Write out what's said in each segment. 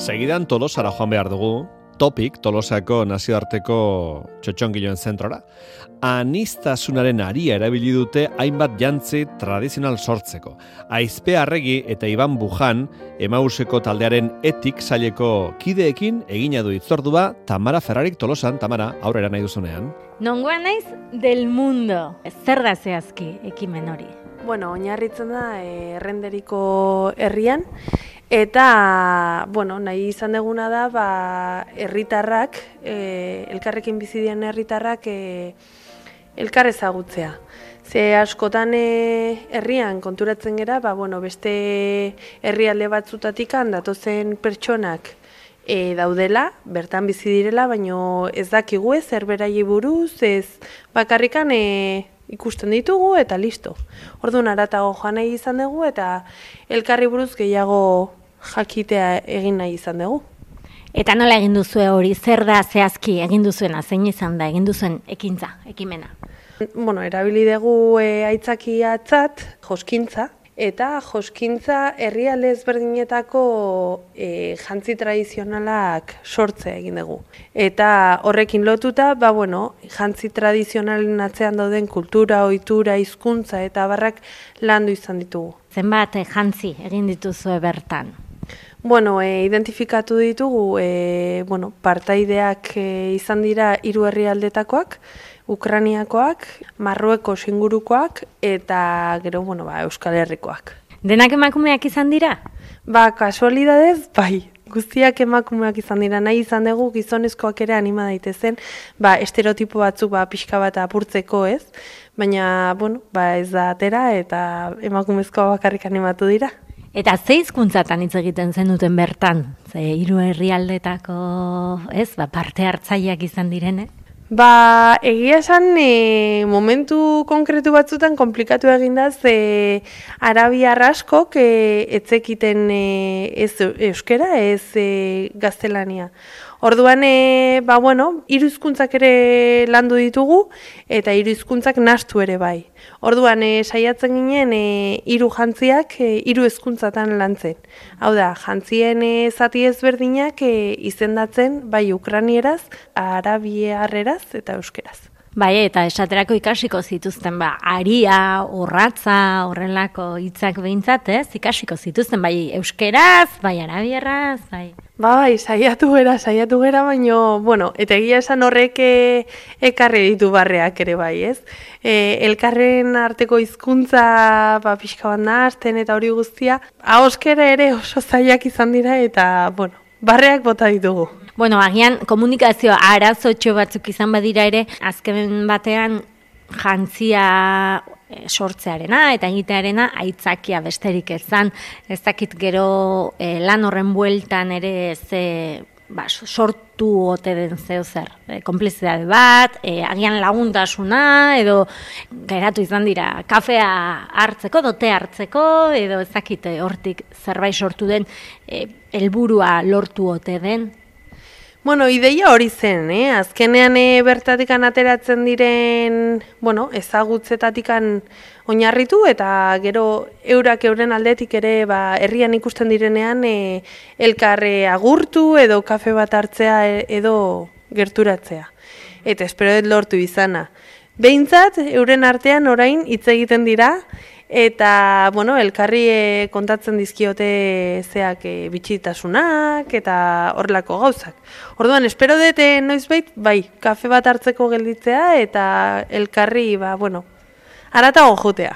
Segidan Tolosara joan behar dugu, Topik, Tolosako nazioarteko txotxongiloen zentrora. Aniztasunaren aria erabili dute hainbat jantzi tradizional sortzeko. Aizpe Arregi eta Iban Bujan, Emauseko taldearen etik saileko kideekin egina du hitzordua Tamara Ferrarik Tolosan. Tamara, aurrera nahi duzunean. Nongoa naiz del mundo. Zer da zehazki ekimen hori? Bueno, oinarritzen da Errenderiko herrian. Eta, nahi izan deguna da, herritarrak, elkarrekin bizi diren herritarrak elkar ezagutzea. Ze askotan herrian konturatzen gera, beste herrialde batzutatik datozen pertsonak daudela, bertan bizi direla, baino ez dakigu zer beraiei buruz, ez bakarrikan ikusten ditugu eta listo. Orduan haratago joan nahi izan dugu eta elkarri buruz gehiago jakitea egin nahi izan dugu. Eta nola egin duzue hori, zer da zehazki egin duzuena, zein izan da egin duzuen ekintza, ekimena? Erabili dugu aitzakiatzat joskintza, eta joskintza herrialde ezberdinetako jantzi tradizionalak sortzea egin dugu. Eta horrekin lotuta, jantzi tradizionalen atzean dauden kultura, ohitura, hizkuntza eta abarrak landu izan ditugu. Zenbat jantzi egin dituzue bertan? Identifikatu ditugu, partaideak izan dira 3 herrialdetakoak, Ukrainiakoak, Marruekos ingurukoak eta gero, Euskal Herrikoak. Denak emakumeak izan dira? Kasualidadez, bai. Guztiak emakumeak izan dira, nahi izan dugu gizonezkoak ere anima daitezen, estereotipo batzuk pixka bat apurtzeko ez, baina, ez da atera eta emakumezkoa bakarrik animatu dira. Eta ze hizkuntzatan hitz egiten zenuten bertan? Ze 3 herrialdetako, parte hartzaileak izan direne? Egia esan momentu konkretu batzutan komplikatu egin da, ze arabiar askok etzekiten ez euskera, ez gaztelania. Orduan, 3 hizkuntzak ere landu ditugu eta 3 hizkuntzak nahastu ere bai. Orduan, saiatzen ginen 3 jantziak 3 hizkuntzatan lantzen. Hau da, jantzien zati ezberdinak izendatzen bai ukrainieraz, arabiarreraz eta euskeraz. Eta esaterako ikasiko zituzten, aria, orratza, horrelako hitzak behintzat, ikasiko zituzten, bai euskeraz, bai arabierraz, bai. Saiatu gera, baino, eta egia esan horrek ekarri ditu barreak ere bai, ez? Elkarren arteko hizkuntza pixka bat nahazten eta hori guztia, ahoskera ere oso zailak izan dira eta, barreak bota ditugu. Agian komunikazio arazotxo batzuk izan badira ere, azken batean jantzia sortzearena eta egitearena aitzakia besterik ezan. Ez dakit gero lan horren bueltan ere sortu ote den zer. Konplizidade bat, agian laguntasuna edo geratu izan dira kafea hartzeko, dote hartzeko edo ez dakit hortik zerbait sortu den helburua lortu ote den. Ideia hori zen, azkenean bertatikan ateratzen diren, ezagutzetatik oinarritu eta gero euren aldetik ere herrian ikusten direnean elkarre agurtu edo kafe bat hartzea edo gerturatzea. Eta espero dut lortu izana. Behintzat, euren artean orain hitz egiten dira, eta, elkarri kontatzen dizkiote zeak bitxitasunak eta horrelako gauzak. Orduan, espero dut noizbait, kafe bat hartzeko gelditzea eta elkarri, haratago jotea.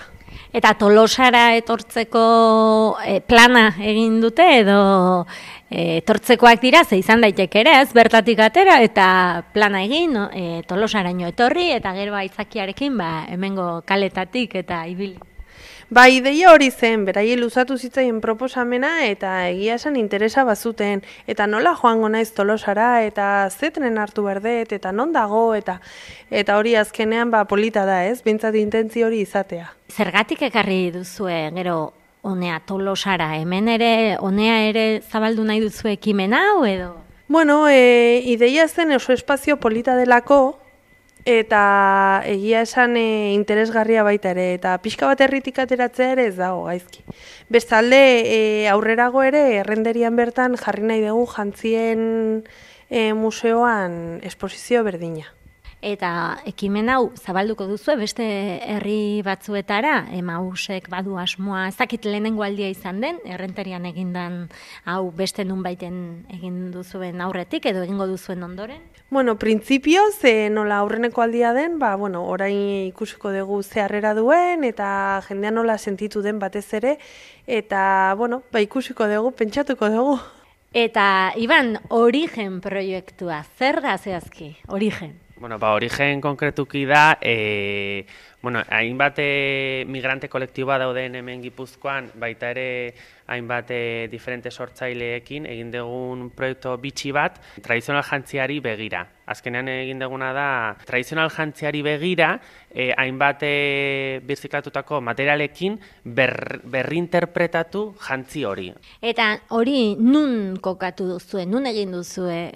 Eta Tolosara etortzeko plana egin dute edo etortzekoak dira, ze izan daiteke ere, bertatik atera eta plana egin, Tolosaraino etorri eta gero aitzakiarekin hemengo kaletatik eta ibili. Ideia hori zen, beraie luzatu zitzaien proposamena eta egia esan interesa bazuten. Eta nola joango naiz Tolosara eta zetren hartu berdet eta non dago eta hori azkenean polita da ez, bintzat intentzio hori izatea. Zergatik ekarri duzue gero honea Tolosara, hemen ere honea ere zabaldu nahi duzue ekimen hau edo? Ideia zen oso espazio polita delako eta egia esan interesgarria baita ere, eta pixka bat herritik ateratzea ere ez dago gaizki. Bestalde, aurrerago ere, errenderian bertan jarri nahi dugu jantzien museoan esposizio berdina. Eta ekimen hau zabalduko duzu beste herri batzuetara, Emausek badu asmoa, ez dakit lehenengo aldia izan den, errenterian egindan hau beste nunbaiten egin duzuen aurretik edo egingo duzuen ondoren? Bueno, printzipioz, nola aurreneko aldia den, orain ikusiko dugu ze harrera duen, eta jendea nola sentitu den batez ere, eta, ikusiko dugu, pentsatuko dugu. Eta, Iban, Origen proiektua, zer da zehazki, Origen? Origen konkretuki da, hainbat migrante kolektiboa dauden hemen Gipuzkoan, baita ere hainbat diferente sortzaileekin egin dugun proiektu bitxi bat, tradizional jantziari begira. Azkenean egin duguna da, tradizional jantziari begira, hainbat birziklatutako materialekin berrinterpretatu jantzi hori. Eta hori nun kokatu duzue, nun egin duzue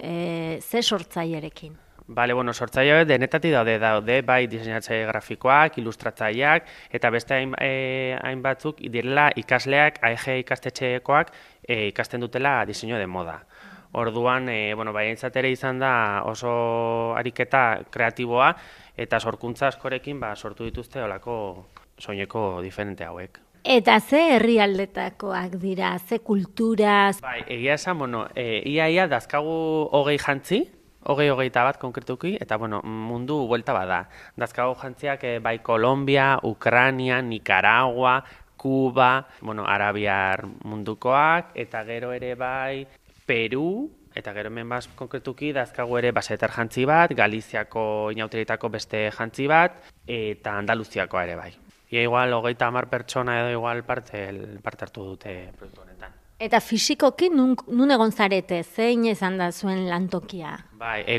ze sortzailerekin? Sortzaile denetatik daude, bai diseinatzaile grafikoak, ilustratzaileak, eta beste hainbatzuk direla ikasleak, AEG ikastetxekoak ikasten dutela diseinu de moda. Orduan, baientzat ere izan da oso ariketa kreatiboa, eta sorkuntza askorekin sortu dituzte olako soineko diferente hauek. Eta ze herrialdetakoak dira, ze kulturaz? Egia esan, ia dazkagu 20 jantzi, 20-21 bat konkretuki, eta mundu buelta bada. Dazkago jantziak bai Kolombia, Ukrania, Nicaragua, Kuba, Arabiar mundukoak, eta gero ere bai Peru, eta gero hemen konkretuki dazkago ere basetar jantzi bat, Galiziako inauterietako beste jantzi bat, eta Andaluziakoa ere bai. Ia igual 30 pertsona edo igual parte hartu dute proiektu honetan. Eta fisikoki nun egon zarete, zein izan da zuen lantokia?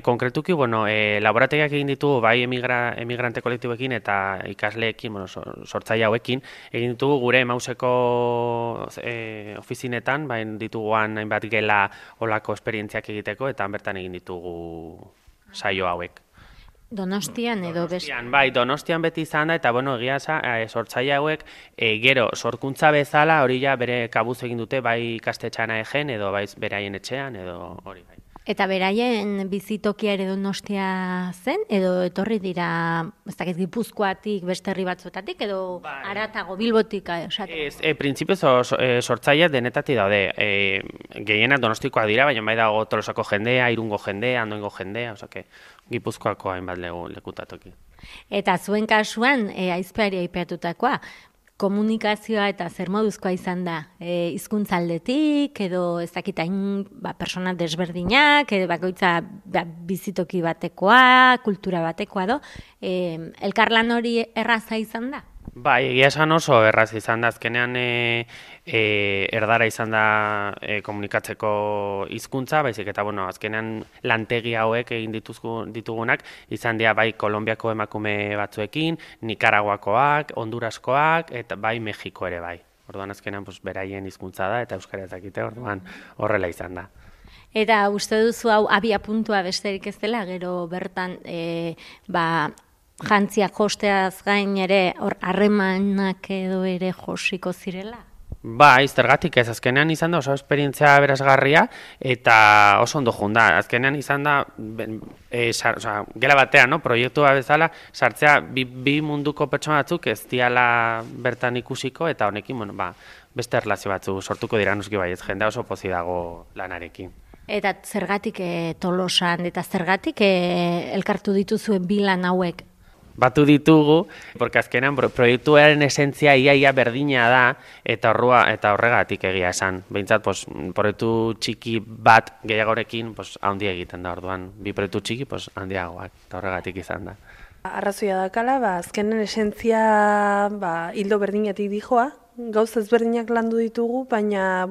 Konkretuki, laborategiak egin ditugu, bai emigrante kolektiboekin eta ikasleekin, sortzaile hauekin, egin ditugu gure Emauseko ofizinetan, dituguan hainbat gela olako esperientziak egiteko, eta bertan egin ditugu saio hauek. Donostian edo beste? Donostian beti izan da, eta egia sortzaile hauek gero sorkuntza bezala hori ja bere kabuz egin dute bai ikastetxean AEGen edo bai beraien etxean edo hori bai. Eta beraien bizitokia ere Donostia zen edo etorri dira, ez dakit Gipuzkoatik beste herri batzuetatik edo haratago Bilbotik? Printzipioz sortzaileak denetatik daude. Gehienak Donostikoak dira, baina bai dago Tolosako jendea, Irungo jendea, Andoengo jendea, Gipuzkoako hainbat lekutatoki. Eta zuen kasuan, aizpeari aipatutakoa, komunikazioa eta zer moduzkoa izan da? Hizkuntza aldetik, edo ez dakitain persona desberdinak, edo bakoitza bizitoki batekoa, kultura batekoa do, elkarlan hori erraza izan da? Egia esan oso erraz izan da, azkenean erdara izan da komunikatzeko hizkuntza, baizik eta azkenean lantegi hauek egin ditugunak, izan dira bai Kolonbiako emakume batzuekin, Nikaraguakoak, Honduraskoak, eta bai Mexiko ere bai. Orduan azkenean beraien hizkuntza da, eta euskara ezakite, orduan horrela izan da. Eta uste duzu hau abia puntua besterik ez dela, gero bertan jantziak josteaz gain ere harremanak edo ere josiko zirela? Zergatik ez, azkenean izan da oso esperientzia berazgarria eta oso ondo junda. Azkenean izan da, gela batean, proiektua bezala, sartzea bi munduko pertsona batzuk ez diala bertan ikusiko eta honekin, beste erlazio batzu sortuko dira noski baietz, jendea oso pozi dago lanarekin. Eta zergatik Tolosan eta zergatik elkartu dituzuen bi lan hauek? Batu ditugu, porque azkenan proiektuaren esentzia iaia berdina da, eta horregatik egia esan. Behintzat, proiektu txiki bat gehiagorekin handi egiten da, orduan, bi proiektu txiki handiagoak, eta horregatik izan da. Arrazoia dakala, azkenen esentzia hildo berdinatik dijoa, gauza ezberdinak landu ditugu, baina,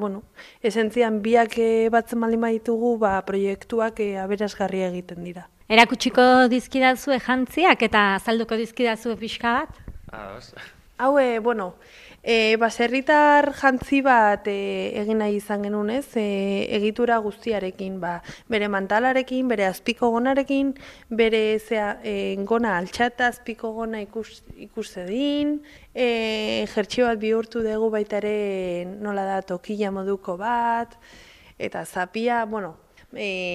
esentzian biak batzen baldin baditugu, proiektuak aberasgarria egiten dira. Erakutsiko dizkidazue jantziak eta azalduko dizkidazue pixka bat? Hau, bueno, baserritar jantzi bat egin nahi izan genuen, ez? Egitura guztiarekin, bere mantalarekin, bere azpiko gonarekin, bere gona altxata azpiko gona ikus zedin, jertxio bat bihurtu dugu baita ere nola da tokila moduko bat, eta zapia, bueno,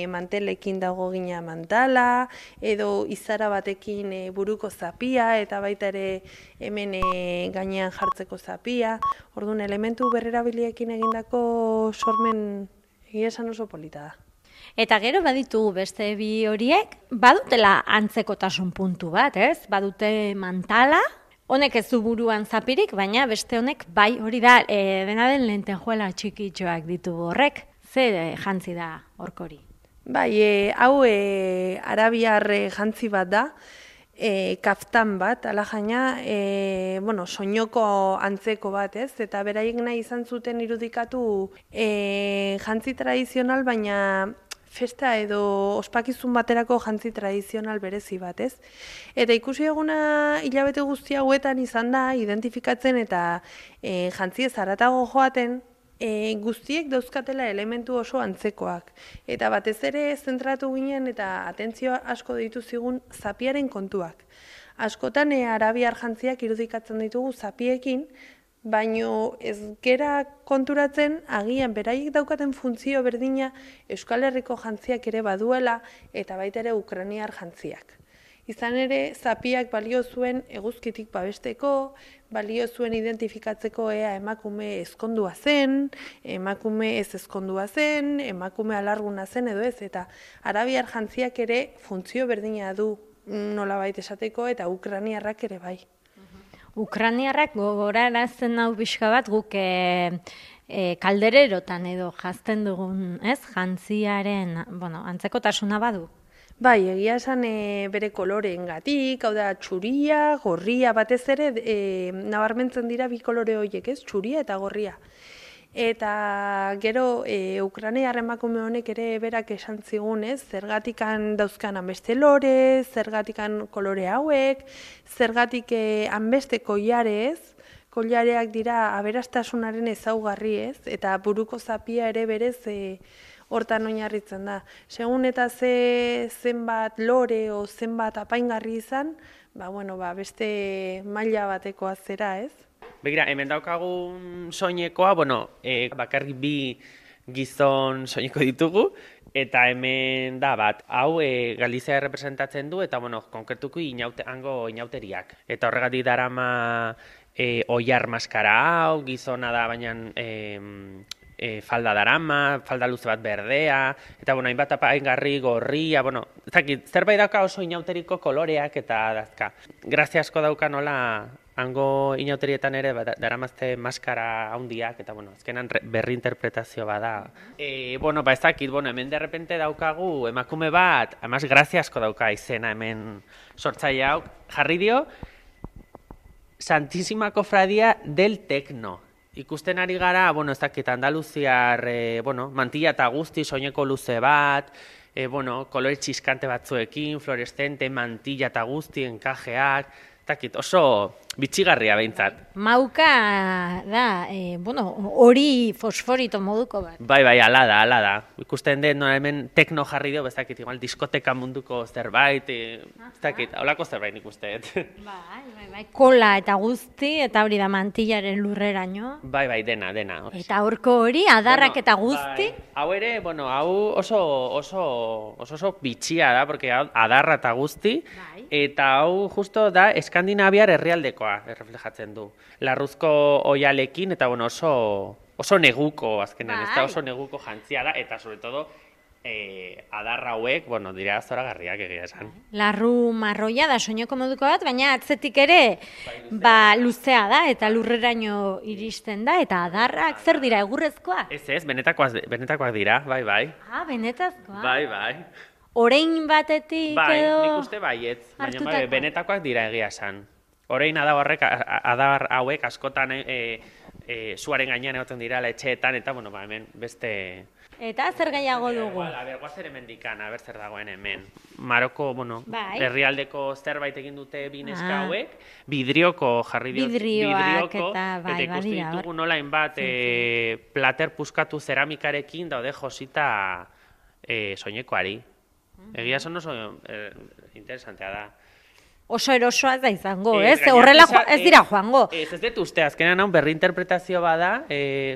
mantelekin dago gina mantala, edo izara batekin buruko zapia, eta baita ere hemen gainean jartzeko zapia. Orduan, elementu berrerabiliekin egindako sormen egia esan oso polita da. Eta gero baditugu beste bi horiek, badutela antzekotasun puntu bat, ez? Badute mantala, honek ez du buruan zapirik, baina beste honek bai hori da, dena den lentejuela txikitxoak ditugu horrek. Ze jantzi da horkori? Bai, hau arabiar jantzi bat da, kaftan bat, ala jaina, bueno, soinoko antzeko bat, ez? Eta beraiek nahi izan zuten irudikatu jantzi tradizional, baina festa edo ospakizun baterako jantzi tradizional berezi bat, ez? Eta ikusi eguna hilabete guzti hauetan izan da, identifikatzen eta jantzi ez haratago joaten, guztiek dauzkatela elementu oso antzekoak. Eta batez ere zentratu ginen eta atentzio asko ditu zigun zapiaren kontuak. Askotan arabiar jantziak irudikatzen ditugu zapiekin, baino ez gera konturatzen agian beraiek daukaten funtzio berdina Euskal Herriko jantziak ere baduela eta baita ere ukrainiar jantziak. Izan ere, zapiak balio zuen eguzkitik babesteko, balio zuen identifikatzeko ea emakume ezkondua zen, emakume ez ezkondua zen, emakume alarguna zen edo ez, eta arabiar jantziak ere funtzio berdina du nolabait esateko eta ukrainiarrak ere bai. Ukrainiarrak gogorarazten hau pixka bat guk kaldererotan edo jazten dugun, ez? Jantziaren, bueno, antzekotasuna badu. Bai, egia esan bere koloreengatik, hau da txuria, gorria, batez ere nabarmentzen dira bi kolore horiek, ez? Txuria eta gorria. Eta gero ukrainiar emakume honek ere berak esan zigun, ez? Zergatikan dauzkan hanbeste lore, zergatikan kolore hauek, zergatik hanbeste koilarez, koilareak dira aberastasunaren ezaugarri, ez? Eta buruko zapia ere berez hortan oinarritzen da. Segun eta zenbat lore o zenbat apaingarri izan, beste maila batekoa zera, ez? Begira, hemen daukagun soinekoa, bakarrik bi gizon soineko ditugu, eta hemen da bat, hau Galizia representatzen du, eta konkretuko hango inauteriak. Eta horregatik darama oiar maskara hau, gizona da, baina falda darama, falda luze bat berdea, eta hainbat apaingarri gorria, zerbait dauka oso inauteriko koloreak eta dazka. Grazia asko dauka nola hango inauterietan ere daramazte maskara handiak, eta azkenan berri interpretazio bada. Ez dakit, hemen derrepente daukagu emakume bat, además grazia asko dauka izena hemen sortzaile hau, jarri dio Santísima Cofradía del Tecno. Ikusten ari gara, ez dakit Andaluziar, mantilla eta guzti, soineko luze bat, kolore txiskante batzuekin, fluorescente, mantilla eta guzti, enkajeak, dakit, oso bitxigarria behintzat. Mauka da, hori fosforito moduko bat. Bai, ala da. Ikusten den, hemen tekno jarri dio, bezakit, igual diskoteka munduko zerbait, bezakit, holako zerbait ikusten. Bai, kola eta guzti, eta hori da mantillaren lurreraino. Bai, dena. Eta horko hori, adarrak eta guzti. Hau ere, hau oso bitxia da, porque adarra eta guzti, eta hau justo da Eskandinaviar herrialdekoa erreflejatzen du. Larruzko oialekin, eta oso neguko, azkenan, ez da oso neguko jantzia da, eta sobre todo, adarra hauek, dira zoragarriak egia esan. Larru marroia da soineko moduko bat, baina atzetik ere luzea da, eta lurreraino iristen da, eta adarrak zer dira, egurrezkoa? Ez, benetakoak dira, bai. Ah, benetazkoa? Bai. Orein batetik edo... Bai, nik uste baietz, baina benetakoak dira egia esan. Orain adar hauek askotan zuaren gainean egoten dira etxeetan, eta, bueno, ba, hemen beste... Eta zer gehiago dugu? A ber, guazen hemendikan, a ber zer dagoen hemen. Maroko, bueno, Bai. herrialdeko zerbait egin dute bi neska hauek, vidrioko jarri diot, Vidrioak eta bai, eta ikusten badira, ditugu nola hainbat plater puskatu zeramikarekin daude josita soinekoari. Egia esan oso interesantea da. Oso erosoa da izango, ez? Horrela ez dira joango. Ez dut uste, azkenan hau berrinterpretazio bada,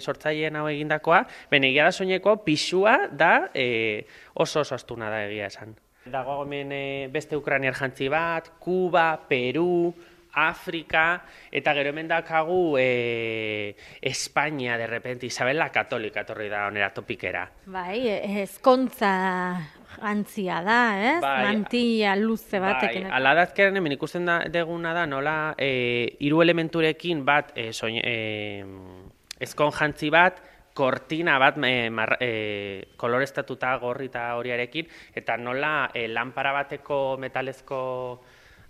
sortzaileen hau egindakoa, egia da soineko pixua da oso astuna da egia esan. Dago hemen beste ukrainiar jantzi bat, Kuba, Peru, Afrika, eta gero hemen dakagu Espainia, de repente, Isabel la Katolika etorri da onera topikera. Bai, ezkontza jantzia da, ez? Bai, mantilla luze batekin. Bai, ala da azkenean hemen ikusten deguna da nola hiru elementurekin bat ezkon jantzi bat, kortina bat koloreztatuta gorri eta horiarekin, eta nola lanpara bateko metalezko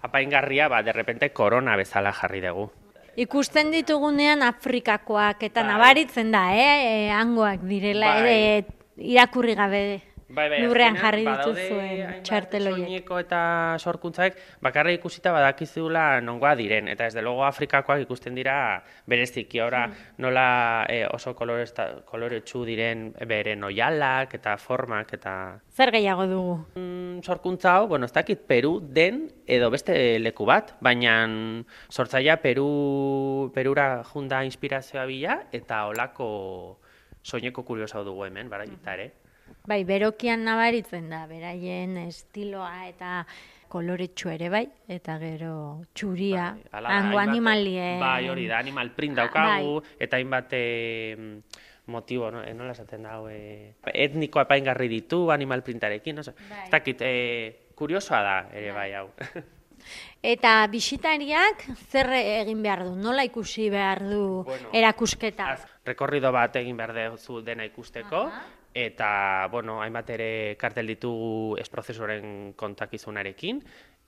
apaingarria, de repente korona bezala jarri dugu. Ikusten ditugunean Afrikakoak eta nabaritzen da, hangoak direla, irakurri gabe lurrean jarri dituzuen txarteloiek. Soineko eta sorkuntzaek bakarra ikusita badakizula nongoa diren, eta ez de logo Afrikakoak ikusten dira bereziki, ora nola oso koloretsu diren beren oialak eta formak eta... Zer gehiago dugu? Sorkuntza hau, bueno, ez dakit Peru den edo beste leku bat, baina sortzaia Perura junda inspirazioa bila eta olako soineko kuriosa dugu hemen, baraita ere. Bai, berokian nabaritzen da, beraien estiloa eta koloretsu ere bai, eta gero txuria, hango animalien... Bai, hori da, animal print daukagu, eta hainbat motibo, nola esaten da, etniko apaingarri ditu animal printarekin, ez dakit, kuriosoa da ere bai hau. Eta bisitariak zer egin behar du, nola ikusi behar du erakusketa? Rekorrido bat egin behar duzu dena ikusteko, eta, bueno, hainbat ere kartel ditugu prozesuaren kontakizunarekin,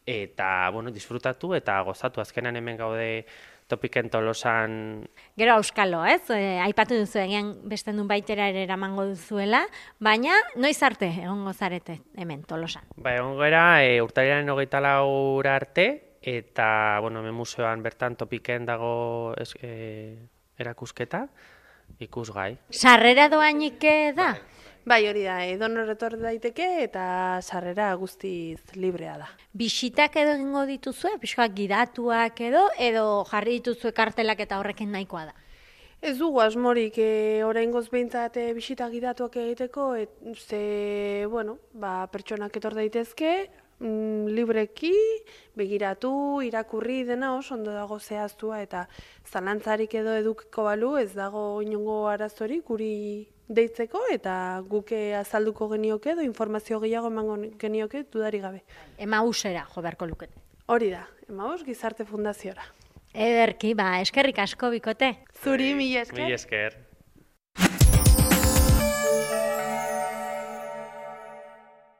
eta, bueno, disfrutatu eta gozatu. Azkenan hemen gaude Topiken Tolosan... Gero auskalo, ez? Aipatu duzu egian beste nun baitera ere eramango duzuela, baina noiz arte egongo zarete hemen Tolosan? Ba, egongo era urtarrilaren 24 arte, eta, bueno, hemen museoan bertan Topiken dago erakusketa, ikusgai. Sarrera doainik da? Bai, hori da, edonor etor daiteke eta sarrera guztiz librea da. Bisitak edo egingo dituzue, pixkoak gidatuak edo jarri dituzue kartelak eta horrekin nahikoa da? Ez dugu asmorik oraingoz behintzat bisita gidatuak egiteko, ze, bueno, pertsonak etor daitezke, libreki, begiratu, irakurri dena oso ondo dago zehaztua eta zalantzarik edo edukiko balu ez dago inongo arazorik guri deitzeko eta guke azalduko genioke edo informazio gehiago emango genioke dudarik gabe. Emausera jo beharko lukete. Hori da, Emaus Gizarte Fundaziora. Ederki, eskerrik asko bikote. Zuri, mila esker. Mila esker.